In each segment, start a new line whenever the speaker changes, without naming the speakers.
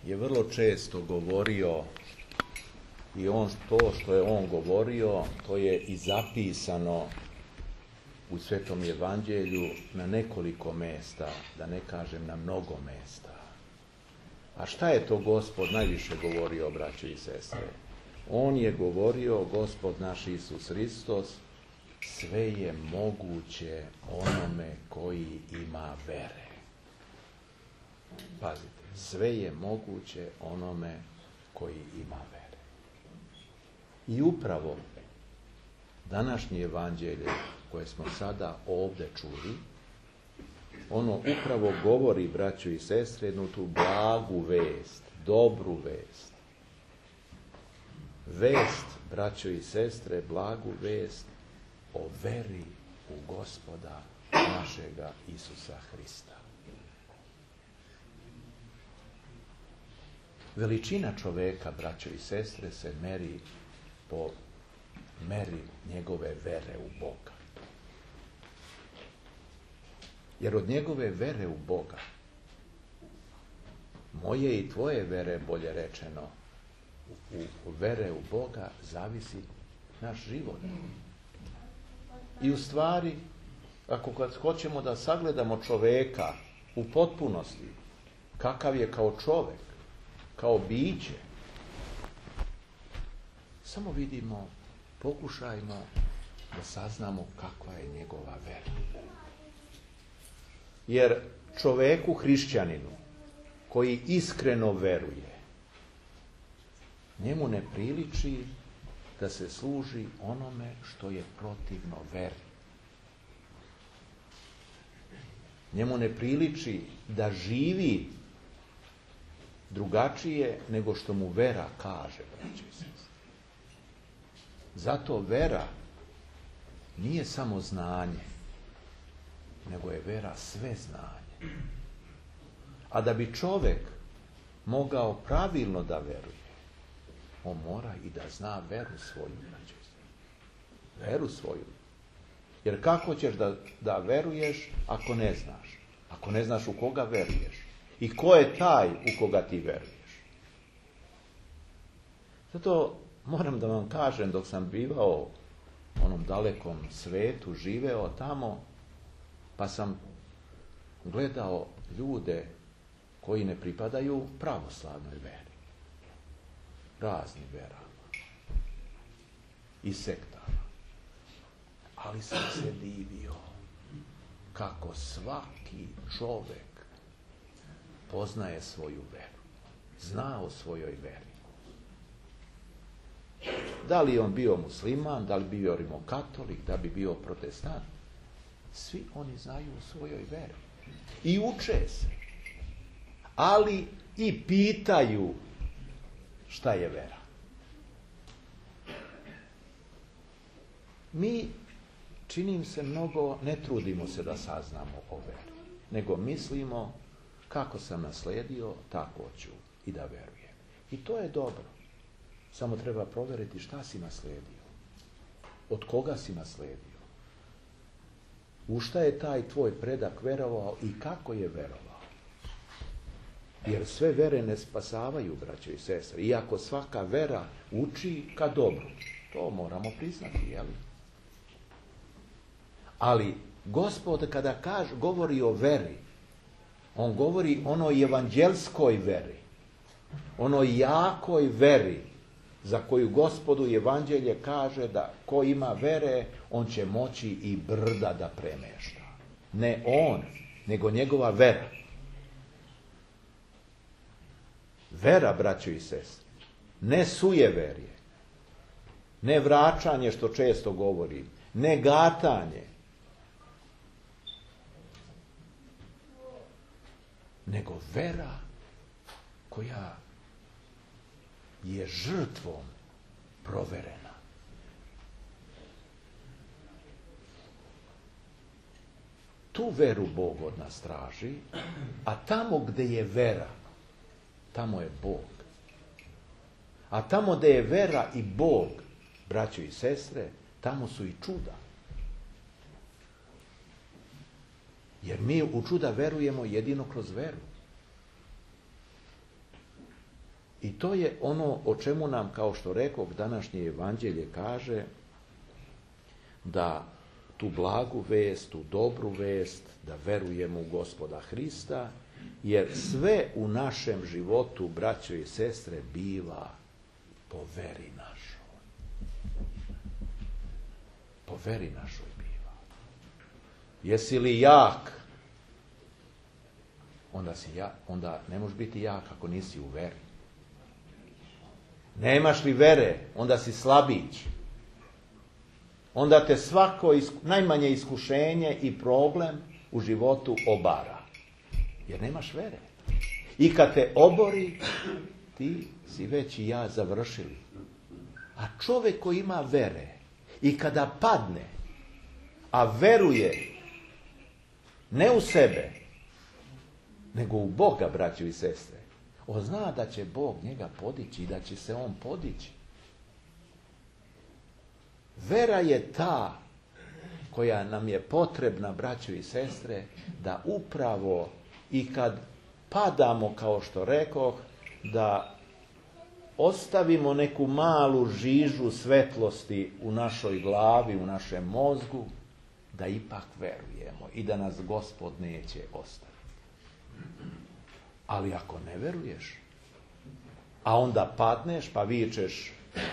je vrlo često govorio i to što je on govorio, to je i zapisano u Svetom Evanđelju na nekoliko mesta, da ne kažem na mnogo mesta. A šta je to Gospod najviše govorio, braćo i sestre? On je govorio, Gospod naš Isus Hristos, sve je moguće onome koji ima vere. Pazite, sve je moguće onome koji ima vere. I upravo današnje evanđelje koje smo sada ovdje čuli, ono upravo govori, braćo i sestre, jednu tu blagu vest, dobru vest. Vest, braćo i sestre, blagu vest o veri u Gospoda našega Isusa Hrista. Veličina čoveka, braćo i sestre, se meri po meri njegove vere u Boga. Jer od njegove vere u Boga, moje i tvoje vere, bolje rečeno, u vere u Boga zavisi naš život. I u stvari, ako kad hoćemo da sagledamo čoveka u potpunosti, kakav je kao čovek, kao biće, samo vidimo, pokušajmo da saznamo kakva je njegova vera. Jer čoveku hrišćaninu koji iskreno veruje, njemu ne priliči da se služi onome što je protivno veri. Njemu ne priliči da živi drugačije nego što mu vera kaže, braćo i sestre. Zato vera nije samo znanje, nego je vera sve znanje. A da bi čovjek mogao pravilno da veruje, on mora i da zna veru svoju, braćo i sestre. Veru svoju. Jer kako ćeš da veruješ ako ne znaš? Ako ne znaš u koga veruješ? I ko je taj u koga ti veruješ? Zato moram da vam kažem, dok sam bivao u onom dalekom svetu, živeo tamo, pa sam gledao ljude koji ne pripadaju pravoslavnoj veri. Raznim verama. I sektama. Ali sam se divio kako svaki čovek poznaje svoju veru. Zna o svojoj veri. Da li on bio musliman, da li bio rimokatolik, da bi bio protestant, svi oni znaju o svojoj veri. I uče se. Ali i pitaju šta je vera. Mi, činim se mnogo, ne trudimo se da saznamo o veri, nego mislimo kako sam nasledio, tako ću i da verujem. I to je dobro. Samo treba provjeriti šta si nasledio. Od koga si nasledio. U šta je taj tvoj predak verovao i kako je verovao. Jer sve vere ne spasavaju, braćo i sestre. Iako svaka vera uči ka dobru. To moramo priznati, jel? Ali Gospod kada govori o veri, on govori onoj evanđelskoj veri, onoj jakoj veri za koju Gospodu evanđelje kaže da ko ima vere, on će moći i brda da premešta. Ne on, nego njegova vera. Vera, braćo i sestre, ne sujeverje, ne vraćanje što često govori, ne gatanje, nego vera koja je žrtvom proverena. Tu veru Bog od nas traži, a tamo gde je vera, tamo je Bog. A tamo gde je vera i Bog, braćo i sestre, tamo su i čuda. Jer mi u čuda verujemo jedino kroz veru. I to je ono o čemu nam, kao što rekoh, današnje evanđelje kaže da tu blagu vest, tu dobru vest, da verujemo u Gospoda Hrista, jer sve u našem životu, braćo i sestre, biva po veri našoj. Po veri našoj biva. Jesi li jak? Onda ne možeš biti jak ako nisi u veri. Nemaš li vere, onda si slabić. Onda te svako najmanje iskušenje i problem u životu obara. Jer nemaš vere. I kad te obori, ti si već i ja završili. A čovjek koji ima vere i kada padne, a veruje ne u sebe, nego u Boga, braćo i sestre, on zna da će Bog njega podići i da će se on podići. Vera je ta koja nam je potrebna, braćo i sestre, da upravo i kad padamo, kao što rekoh, da ostavimo neku malu žižu svetlosti u našoj glavi, u našem mozgu, da ipak verujemo i da nas Gospod neće ostaviti. Ali ako ne veruješ, a onda padneš pa vičeš,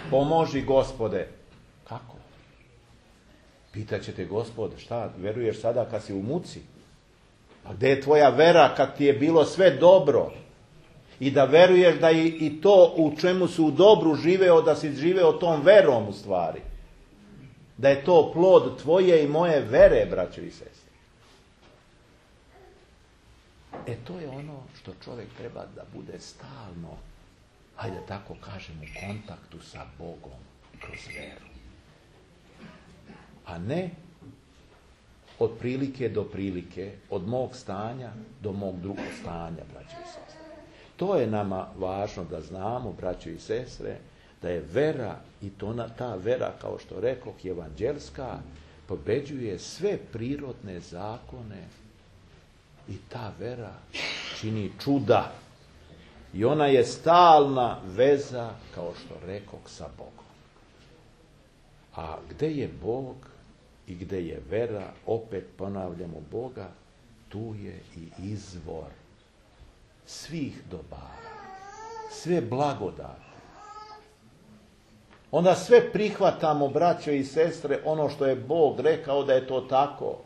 pomoži Gospode, kako? Pitaće te Gospod, šta, veruješ sada kad si u muci? Pa gdje je tvoja vera kad ti je bilo sve dobro? I da veruješ da i to u čemu si u dobru živeo, da si živeo tom verom u stvari. Da je to plod tvoje i moje vere, braćo i sestre. To je ono što čovjek treba da bude stalno, hajde tako kažem, u kontaktu sa Bogom kroz veru. A ne od prilike do prilike, od mog stanja do mog drugog stanja, braćo i sestre. To je nama važno da znamo, braćo i sestre, da je vera, i ta vera, kao što rekoh, evanđelska, pobeđuje sve prirodne zakone i ta vera čini čuda. I ona je stalna veza, kao što rekoh, sa Bogom. A gde je Bog i gde je vera, opet ponavljamo Boga, tu je i izvor svih dobara, sve blagodati. Onda sve prihvatamo, braćo i sestre, ono što je Bog rekao da je to tako.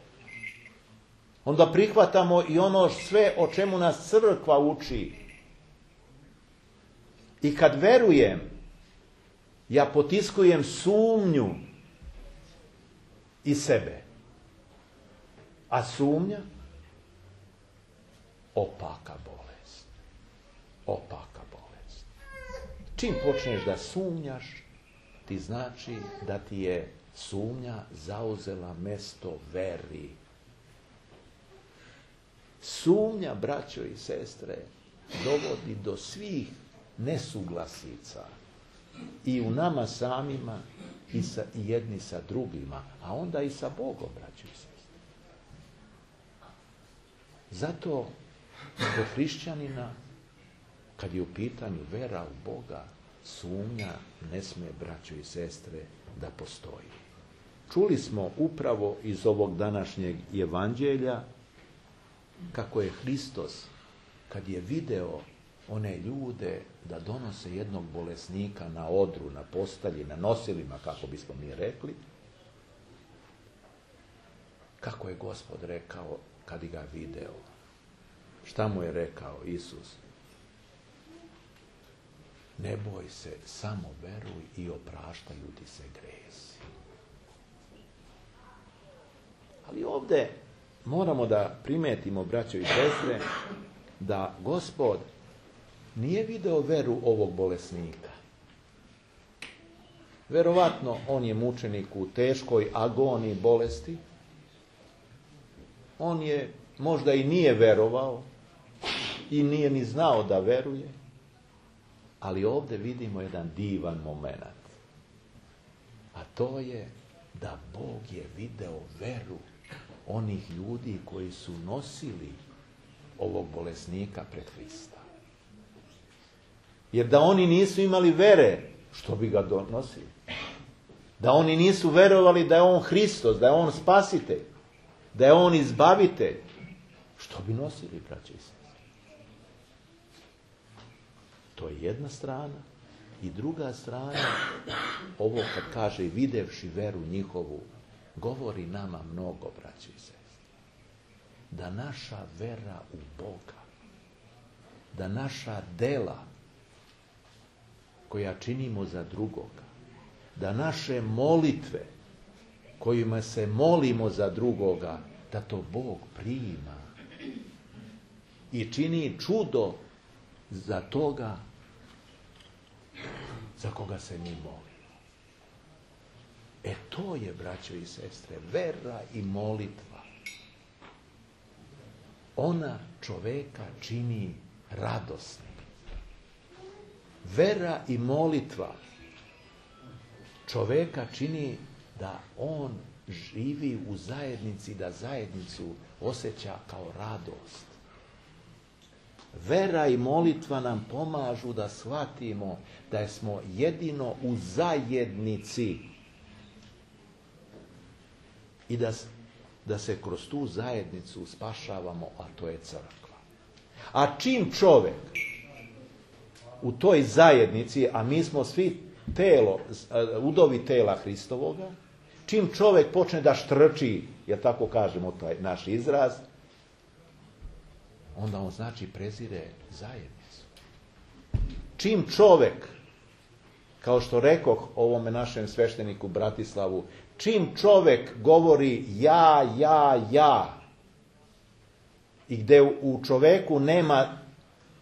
Onda prihvatamo i ono sve o čemu nas crkva uči. I kad verujem, ja potiskujem sumnju i sebe. A sumnja? Opaka bolest. Opaka bolest. Čim počneš da sumnjaš, ti znači da ti je sumnja zauzela mesto veri. Sumnja, braćo i sestre, dovodi do svih nesuglasica i u nama samima i jedni sa drugima, a onda i sa Bogom, braćo i sestre. Zato kod hrišćanina, kad je u pitanju vera u Boga, sumnja ne sme, braćo i sestre, da postoji. Čuli smo upravo iz ovog današnjeg evanđelja kako je Hristos, kad je video one ljude da donose jednog bolesnika na odru, na postelji, na nosilima, kako bismo mi rekli, kako je Gospod rekao kad ga video. Šta mu je rekao Isus? Ne boj se, samo veruj i opraštaju ti se gresi. Ali ovdje moramo da primetimo, braćo i sestre, da Gospod nije video veru ovog bolesnika. Verovatno on je mučenik u teškoj agoniji bolesti. On je možda i nije verovao i nije ni znao da veruje. Ali ovdje vidimo jedan divan moment. A to je da Bog je video veru onih ljudi koji su nosili ovog bolesnika pred Hrista. Jer da oni nisu imali vere, što bi ga donosili? Da oni nisu verovali da je on Hristos, da je on spasitelj, da je on izbavitelj, što bi nosili, braće i sestre? To je jedna strana. I druga strana, ovo kad kaže videvši veru njihovu, govori nama mnogo, braće i sestre. Da naša vera u Boga, da naša dela koja činimo za drugoga, da naše molitve kojima se molimo za drugoga, da to Bog prima i čini čudo za toga za koga se mi molimo. To je, braćo i sestre, vera i molitva. Ona čoveka čini radosnim. Vera i molitva čoveka čini da on živi u zajednici, da zajednicu osjeća kao radost. Vera i molitva nam pomažu da shvatimo da smo jedino u zajednici i da se kroz tu zajednicu spašavamo, a to je crkva. A čim čovjek u toj zajednici, a mi smo svi telo, udovi tela Hristovoga, čim čovjek počne da štrči, jer tako kažemo taj naš izraz, onda on znači prezire zajednicu. Čim čovjek, kao što rekoh ovome našem svešteniku Bratislavu, čim čovjek govori ja, i gdje u čovjeku nema,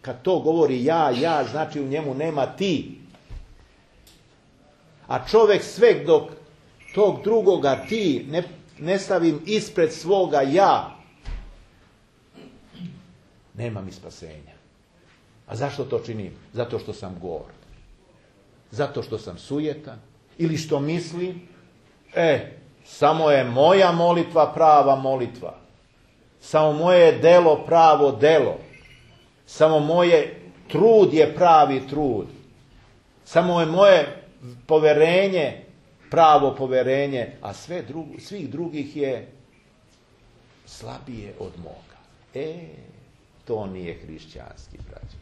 kad to govori ja, znači u njemu nema ti. A čovjek sve dok tog drugoga ti ne stavim ispred svoga ja, nema mi spasenja. A zašto to činim? Zato što sam gord. Zato što sam sujetan. Ili što mislim, samo je moja molitva prava molitva. Samo moje delo pravo delo. Samo moje trud je pravi trud. Samo je moje poverenje pravo poverenje, a svih drugih je slabije od moga. To nije hrišćanski, braći.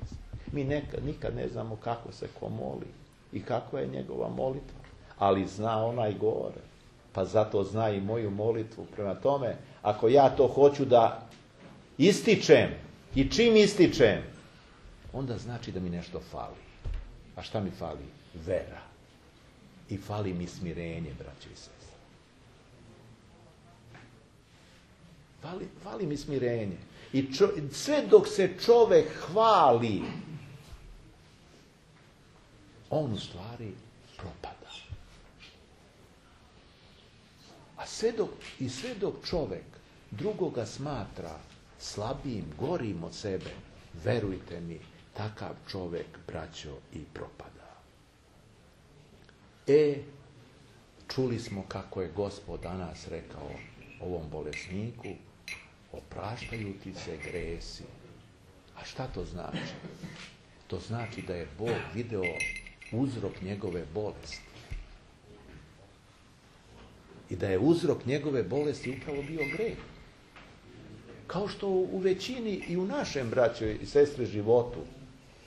Mi nikad ne znamo kako se ko moli i kakva je njegova molitva, ali zna onaj gore, pa zato zna i moju molitvu. Prema tome, ako ja to hoću da ističem i čim ističem, onda znači da mi nešto fali. A šta mi fali? Vera. I fali mi smirenje, braći i sestre. Fali mi smirenje. I sve dok se čovjek hvali, on u stvari propada. A sve dok čovjek drugoga smatra slabijim, gorim od sebe, verujte mi, takav čovjek, braćo, i propada. Čuli smo kako je Gospod danas rekao ovom bolesniku, opraštaju ti se gresi. A šta to znači? To znači da je Bog video uzrok njegove bolesti. I da je uzrok njegove bolesti upravo bio greh. Kao što u većini i u našem, braćo i sestre, životu,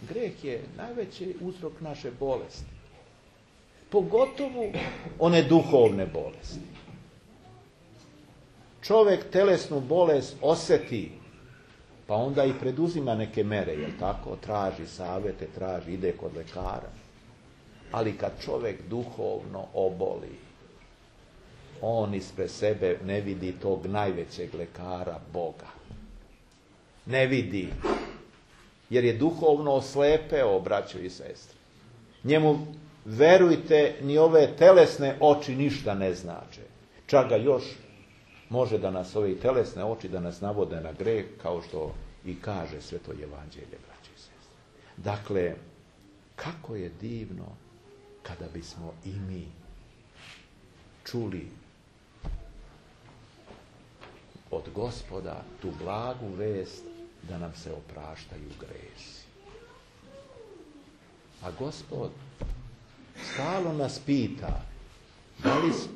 greh je najveći uzrok naše bolesti. Pogotovo one duhovne bolesti. Čovjek telesnu bolest osjeti, pa onda i preduzima neke mere, jel tako? Traži savjete, ide kod lekara. Ali kad čovjek duhovno oboli, on ispred sebe ne vidi tog najvećeg lekara, Boga. Ne vidi. Jer je duhovno oslepeo, braćo i sestre. Njemu, verujte, ni ove telesne oči ništa ne znače. Čak ga još može da nas ove telesne oči da nas navode na greh, kao što i kaže Sveto Evanđelje, braći i sestre. Dakle, kako je divno kada bismo i mi čuli od Gospoda tu blagu vest da nam se opraštaju gresi. A Gospod stalno nas pita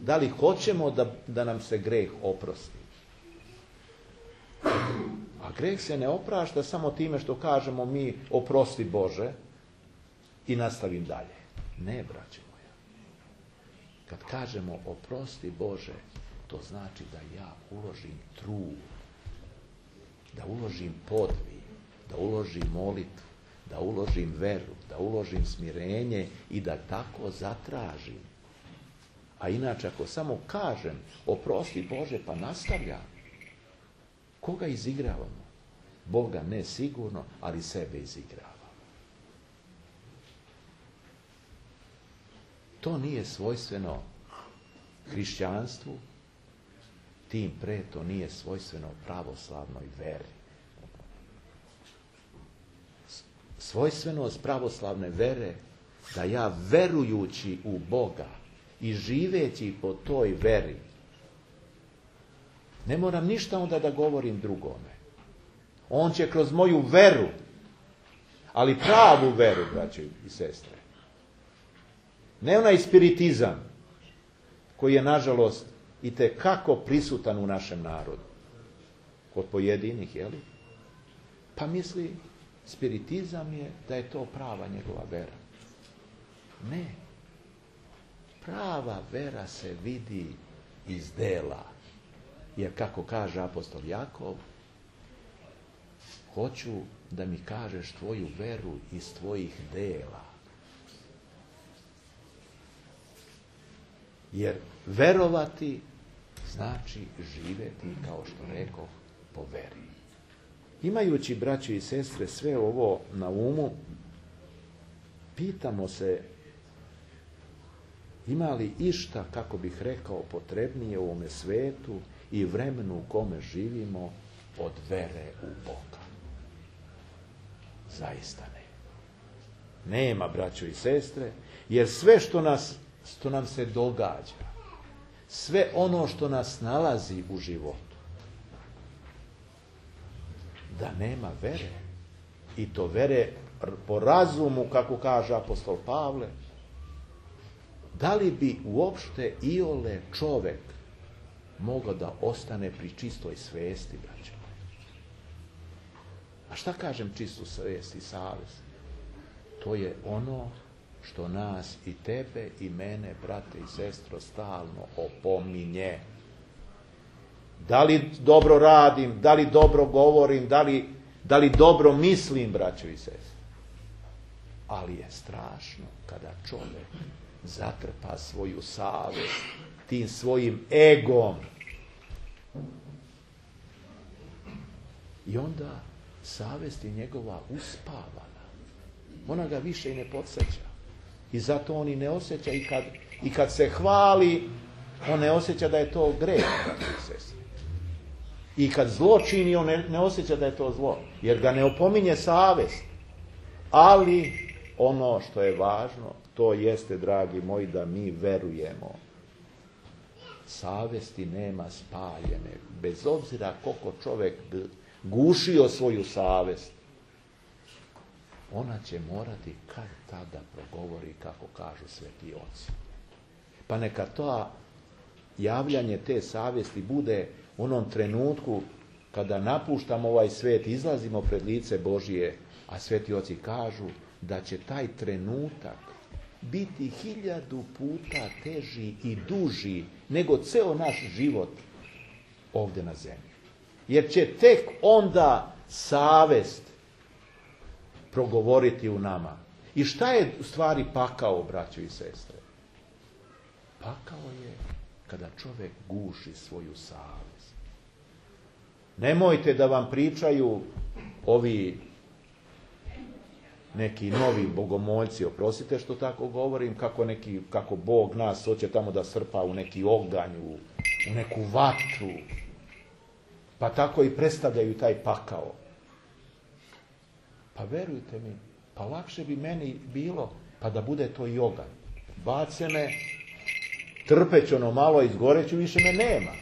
da li hoćemo da nam se greh oprosti. A greh se ne oprašta samo time što kažemo mi oprosti Bože i nastavim dalje. Ne, braćo moja. Kad kažemo oprosti Bože, to znači da ja uložim trud, da uložim podvig, da uložim molitvu, da uložim veru, da uložim smirenje i da tako zatražim. A inače, ako samo kažem oprosti Bože pa nastavljam, koga izigravamo? Boga ne sigurno, ali sebe izigravamo. To nije svojstveno hrišćanstvu, tim pre to nije svojstveno pravoslavnoj veri. Svojstvenost pravoslavne vere da ja verujući u Boga i živeći po toj veri ne moram ništa onda da govorim drugome. On će kroz moju veru, ali pravu veru, braće i sestre. Ne onaj spiritizam koji je, nažalost, itekako prisutan u našem narodu. Kod pojedinih, jeli? Pa misli, spiritizam je da je to prava njegova vera. Ne. Prava vera se vidi iz dela. Jer kako kaže apostol Jakov, hoću da mi kažeš tvoju veru iz tvojih dela. Jer verovati znači živjeti, kao što rekao, po veri. Imajući, braće i sestre, sve ovo na umu, pitamo se ima li išta, kako bih rekao, potrebnije u ovome svetu i vremenu u kome živimo od vere u Boga. Zaista ne. Nema, braćo i sestre, jer sve što nam se događa, sve ono što nas nalazi u životu, da nema vere, i to vere po razumu, kako kaže apostol Pavle, da li bi uopšte iole čovek mogao da ostane pri čistoj svesti, braće? A šta kažem čistu svest i savest? To je ono što nas i tebe i mene, brate i sestro, stalno opominje. Da li dobro radim, da li dobro govorim, da li dobro mislim, braćo i sestre? Ali je strašno kada čovjek zatrpa svoju savest tim svojim egom. I onda savest je njegova uspavana. Ona ga više i ne podsjeća. I zato on i ne osjeća i kad se hvali, on ne osjeća da je to greh, braći i sestre. I kad zlo čini, on ne osjeća da je to zlo, jer ga ne opominje savest. Ali ono što je važno, to jeste, dragi moji, da mi verujemo. Savesti nema spaljene, bez obzira koliko čovjek gušio svoju savest. Ona će morati kad tada progovori, kako kažu sveti oci. Pa neka to javljanje te savesti bude u onom trenutku kada napuštamo ovaj svijet, izlazimo pred lice Božije, a sveti oci kažu da će taj trenutak biti 1000 puta teži i duži nego ceo naš život ovdje na zemlji. Jer će tek onda savest progovoriti u nama. I šta je u stvari pakao, braćo i sestre? Pakao je kada čovjek guši svoju savest. Nemojte da vam pričaju ovi neki novi bogomoljci, oprostite što tako govorim, kako Bog nas hoće tamo da srpa u neki oganj, u neku vatru. Pa tako i predstavljaju taj pakao. Pa verujte mi, pa lakše bi meni bilo pa da bude to i oganj. Bace me, trpeć ono malo, izgoreću, više me nema.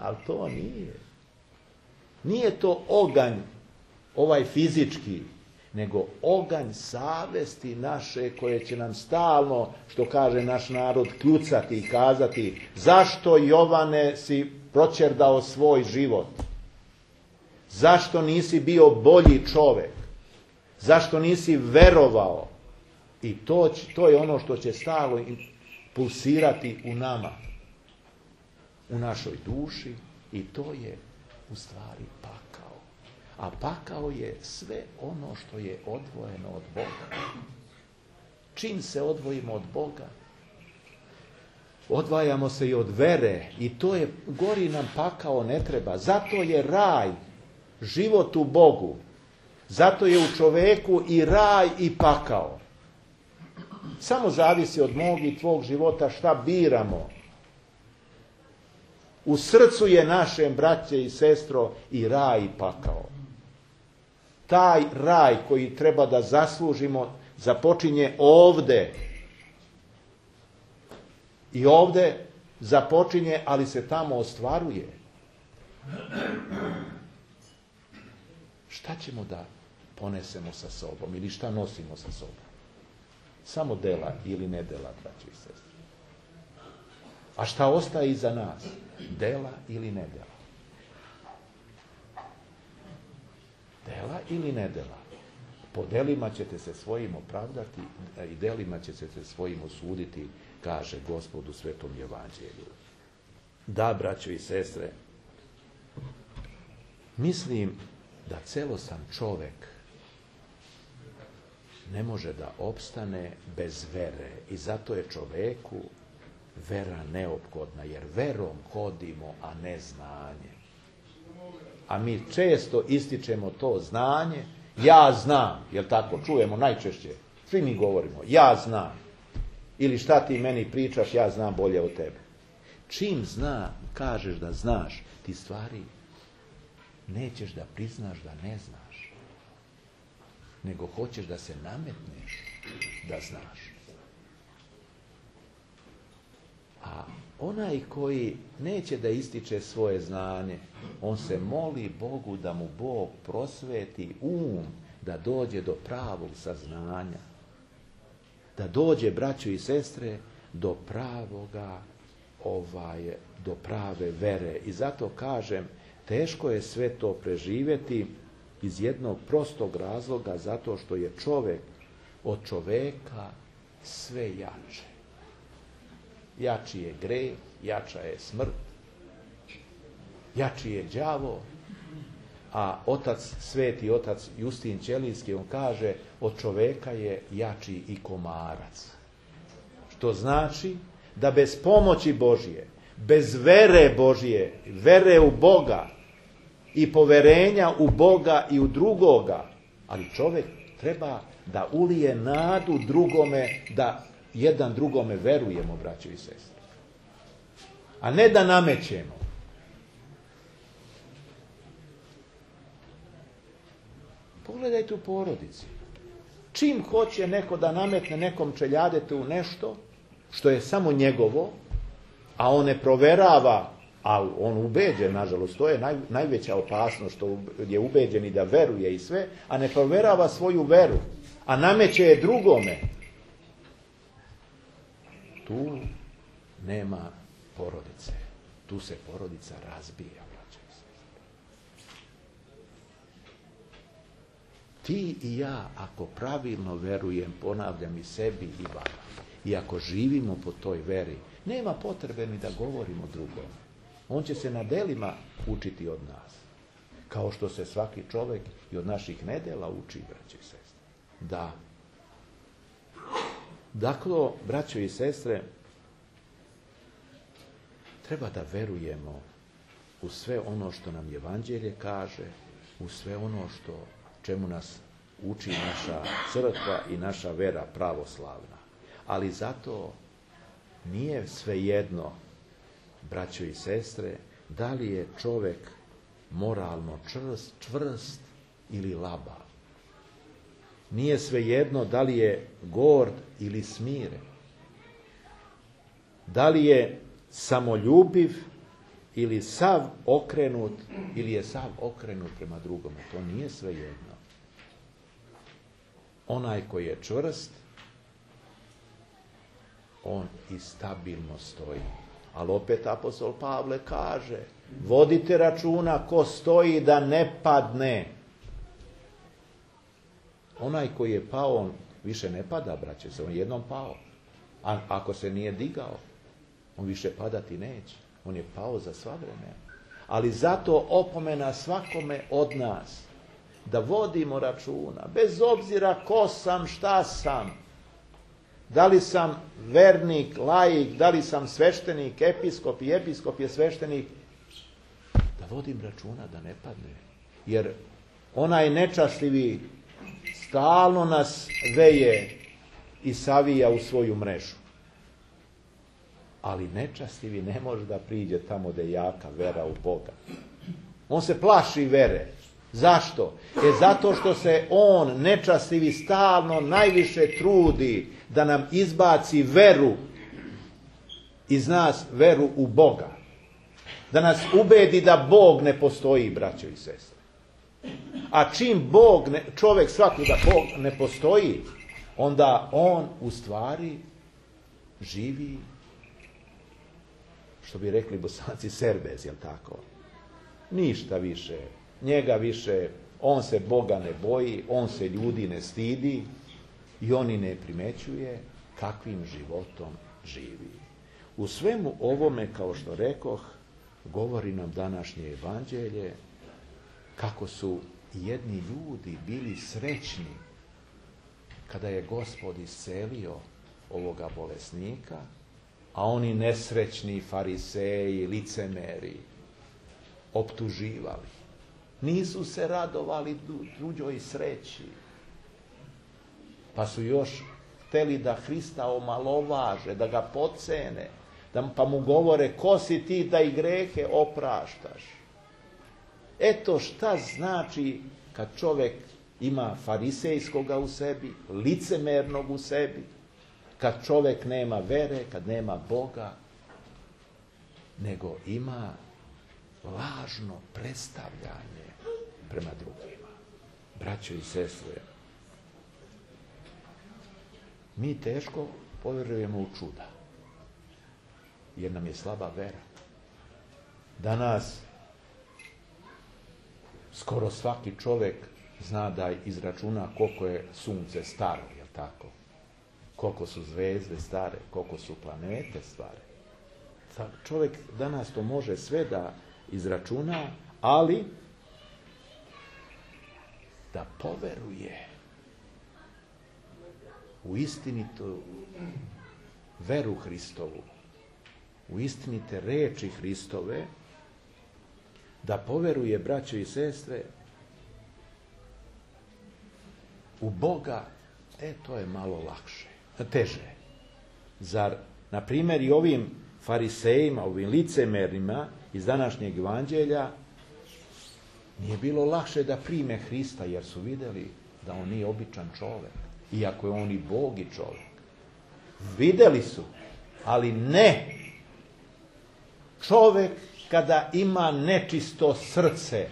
Ali to nije. Nije to oganj, ovaj fizički, nego oganj savesti naše koje će nam stalno, što kaže naš narod, kljucati i kazati zašto, Jovane, si proćerdao svoj život? Zašto nisi bio bolji čovek? Zašto nisi verovao? I to je ono što će stalno pulsirati u nama, u našoj duši, i to je u stvari pakao. A pakao je sve ono što je odvojeno od Boga. Čim se odvojimo od Boga, odvajamo se i od vere, i to je, gori nam pakao ne treba. Zato je raj život u Bogu. Zato je u čoveku i raj i pakao. Samo zavisi od mog i tvog života šta biramo. U srcu je našem, braće i sestro, i raj i pakao. Taj raj koji treba da zaslužimo započinje ovde. I ovde započinje, ali se tamo ostvaruje. Šta ćemo da ponesemo sa sobom ili šta nosimo sa sobom? Samo dela ili ne dela, braći i sestri. A šta ostaje iza nas? Dela ili ne dela? Dela ili ne dela? Po delima ćete se svojim opravdati i delima ćete se svojim osuditi, kaže Gospod u Svetom Evanđelju. Da, braćo i sestre, mislim da celosan čovek ne može da opstane bez vere, i zato je čoveku vera neophodna, jer verom hodimo, a ne znanje. A mi često ističemo to znanje, ja znam, jel tako, čujemo najčešće, svi mi govorimo, ja znam, ili šta ti meni pričaš, ja znam bolje od tebe. Čim kažeš da znaš, ti stvari nećeš da priznaš da ne znaš, nego hoćeš da se nametneš da znaš. A onaj koji neće da ističe svoje znanje, on se moli Bogu da mu Bog prosveti da dođe do pravog saznanja. Da dođe, braćo i sestre, do do prave vere. I zato kažem, teško je sve to preživjeti iz jednog prostog razloga, zato što je čovek od čoveka sve jače. Jači je greh, jača je smrt, jači je đavo, a sveti otac Justin Ćelijski, on kaže, od čoveka je jači i komarac. Što znači da bez pomoći Božje, bez vere Božje, vere u Boga i poverenja u Boga i u drugoga, ali čovjek treba da ulije nadu drugome, da jedan drugome verujemo, braćo i sestre. A ne da namećemo. Pogledajte u porodici. Čim hoće neko da nametne nekom čeljadetu nešto, što je samo njegovo, a on ne proverava, a on ubeđen, nažalost, to je najveća opasnost, što je ubeđen i da veruje i sve, a ne proverava svoju veru, a nameće je drugome. Tu nema porodice. Tu se porodica razbija. Ti i ja, ako pravilno verujem, ponavljam i sebi i vama, i ako živimo po toj veri, nema potrebe ni da govorimo drugom. On će se na delima učiti od nas. Kao što se svaki čovjek i od naših nedela uči, braćo i sestre. Da. Dakle, braćo i sestre, treba da verujemo u sve ono što nam Evanđelje kaže, u sve ono čemu nas uči naša crkva i naša vera pravoslavna. Ali zato nije svejedno, braćo i sestre, da li je čovjek moralno čvrst ili labav. Nije svejedno da li je gord ili smiren. Da li je samoljubiv ili sav okrenut, ili je sav okrenut prema drugome. To nije svejedno. onaj koji je čvrst, on i stabilno stoji. Ali opet apostol Pavle kaže, vodite računa ko stoji da ne padne. Onaj koji je pao, on više ne pada, braće se, on je jednom pao. A ako se nije digao, on više padati neće. On je pao za sva vremena. Ali zato opomena svakome od nas da vodimo računa, bez obzira ko sam, šta sam, da li sam vernik, laik, da li sam sveštenik, episkop i episkop je sveštenik, da vodim računa da ne padne. Jer onaj nečastivi stalno nas veje i savija u svoju mrežu. Ali nečastivi ne može da priđe tamo gde je jaka vera u Boga. On se plaši vere. Zašto? Zato što se on, nečastivi, stalno najviše trudi da nam izbaci veru iz nas, veru u Boga. Da nas ubedi da Bog ne postoji, braćo i sestre. A čim čovjek shvati da Bog ne postoji, onda on u stvari živi, što bi rekli Bosanci, serbez, jel tako? Ništa više. Njega više, on se Boga ne boji, on se ljudi ne stidi i on i ne primećuje kakvim životom živi. U svemu ovome, kao što rekoh, govori nam današnje evanđelje kako su jedni ljudi bili srećni kada je Gospod iscelio ovoga bolesnika, a oni nesrećni fariseji, licemeri, optuživali. Nisu se radovali tuđoj sreći. Pa su još hteli da Hrista omalovaže, da ga podcene, pa mu govore, ko si ti da i grehe opraštaš. Eto šta znači kad čovjek ima farisejskoga u sebi, licemernog u sebi, kad čovjek nema vere, kad nema Boga, nego ima lažno predstavljanje prema drugima. Braćo i sestre, mi teško povjerujemo u čuda, jer nam je slaba vera. Danas skoro svaki čovjek zna da izračuna koliko je sunce staro, jel tako? Koliko su zvezde stare, koliko su planete stare. Čovjek danas to može sve da izračuna, ali da poveruje u istinitu veru Hristovu, u istinite reči Hristove, da poveruje, braćo i sestre, u Boga, to je malo lakše, teže. Zar, na primjer, i ovim farisejima, ovim licemernima iz današnjeg evanđelja nije bilo lakše da prime Hrista, jer su vidjeli da on nije običan čovjek, iako je on i Bog i čovjek. Vidjeli su, ali ne. Čovjek kada ima nečisto srce,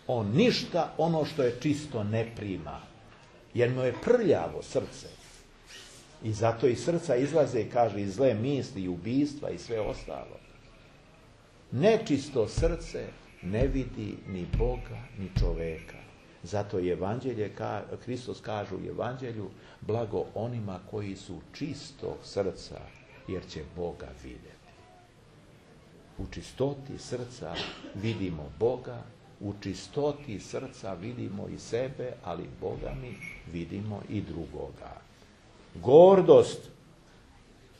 on ništa ono što je čisto ne prima, jer mu je prljavo srce. I zato iz srca izlaze, kaže, i zle misli, i ubistva, i sve ostalo. Nečisto srce ne vidi ni Boga, ni čoveka. Zato je evanđelje, Hristos kaže u evanđelju, blago onima koji su čistog srca, jer će Boga vidjeti. U čistoti srca vidimo Boga, u čistoti srca vidimo i sebe, ali Boga mi vidimo i drugoga. Gordost,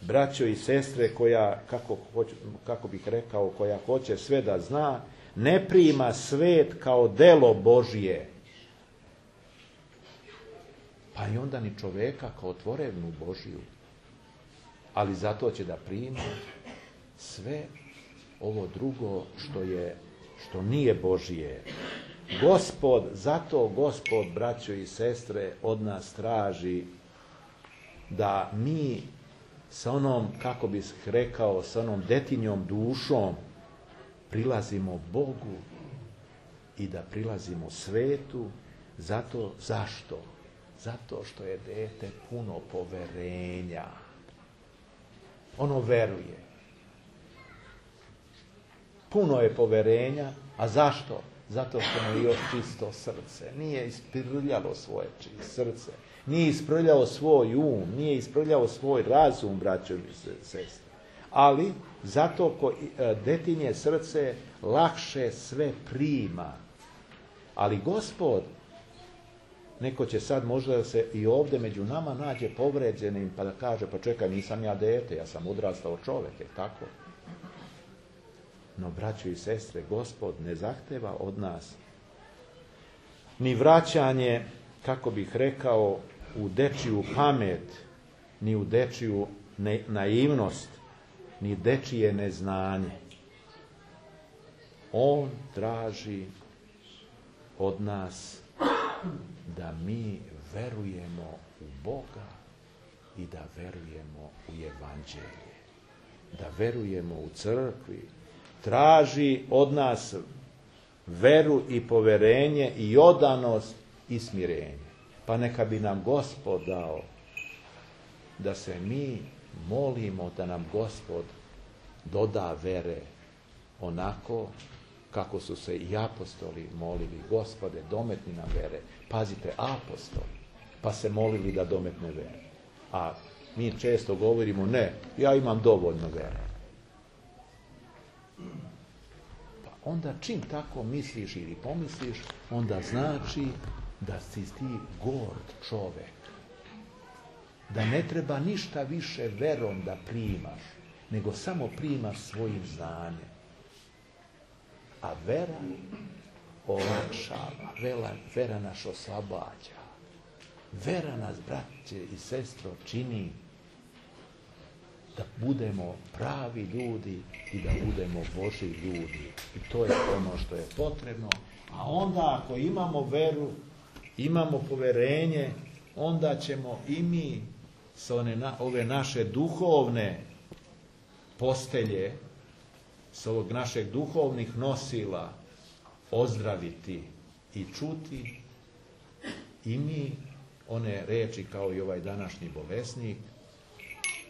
braćo i sestre, koja, kako bih rekao, koja hoće sve da zna, ne prima svet kao delo Božije. Pa i onda ni čoveka kao tvorevnu Božiju. Ali zato će da prima sve ovo drugo što nije Božije. Zato Gospod, braćo i sestre, od nas traži da mi sa onom, kako bih rekao, sa onom detinjom dušom prilazimo Bogu i da prilazimo svetu, Zašto? Zato što je dete puno poverenja. Ono veruje. Puno je poverenja, a zašto? Zato što mu je još čisto srce. Nije isprljalo svoje srce. Nije isprljao svoj nije isprljao svoj razum, braćo i sestre. Ali zato detinje srce lakše sve prima. Ali Gospod, neko će sad možda se i ovdje među nama nađe povređenim pa da kaže, pa čekaj, nisam ja dete, ja sam odrastao čovjek, je tako? No, braćo i sestre, Gospod ne zahteva od nas ni vraćanje, kako bih rekao, u dečiju pamet, ni u dečiju naivnost, ni dečije neznanje. On traži od nas da mi verujemo u Boga i da verujemo u Evanđelje, da verujemo u crkvi. Traži od nas veru i poverenje i odanost i smirenje. Pa neka bi nam Gospod dao da se mi molimo da nam Gospod doda vere onako kako su se i apostoli molili. Gospode, dometni nam vere. Pazite, apostoli, pa se molili da dometne vere. A mi često govorimo, ne, ja imam dovoljno vere. Pa onda čim tako misliš ili pomisliš, onda znači da si ti gord čovek. Da ne treba ništa više verom da primaš, nego samo primaš svojim znanjem. A vera olakšava, vera nas oslobađa. Vera nas, braće i sestro, čini da budemo pravi ljudi i da budemo Božji ljudi. I to je ono što je potrebno. A onda ako imamo veru, imamo poverenje, onda ćemo i mi sa ove naše duhovne postelje, sa ovog našeg duhovnih nosila ozdraviti i čuti i mi one reči kao i ovaj današnji bolesnik: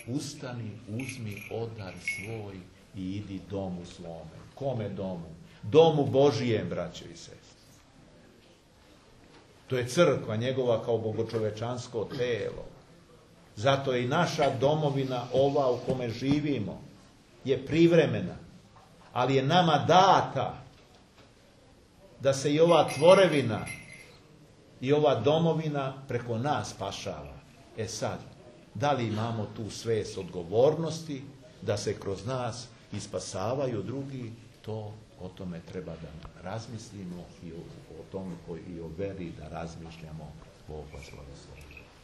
ustani, uzmi odar svoj i idi domu svome. Kome domu? Domu Božijem, braćo i sestre. To je crkva njegova kao bogočovečansko telo. Zato je i naša domovina ova u kome živimo je privremena, ali je nama data da se i ova tvorevina i ova domovina preko nas spašava. E sad, da li imamo tu svest odgovornosti da se kroz nas ispasavaju drugi, to o tome treba da razmislimo i o tome i o veri da razmišljamo. Bog vas blagoslovi.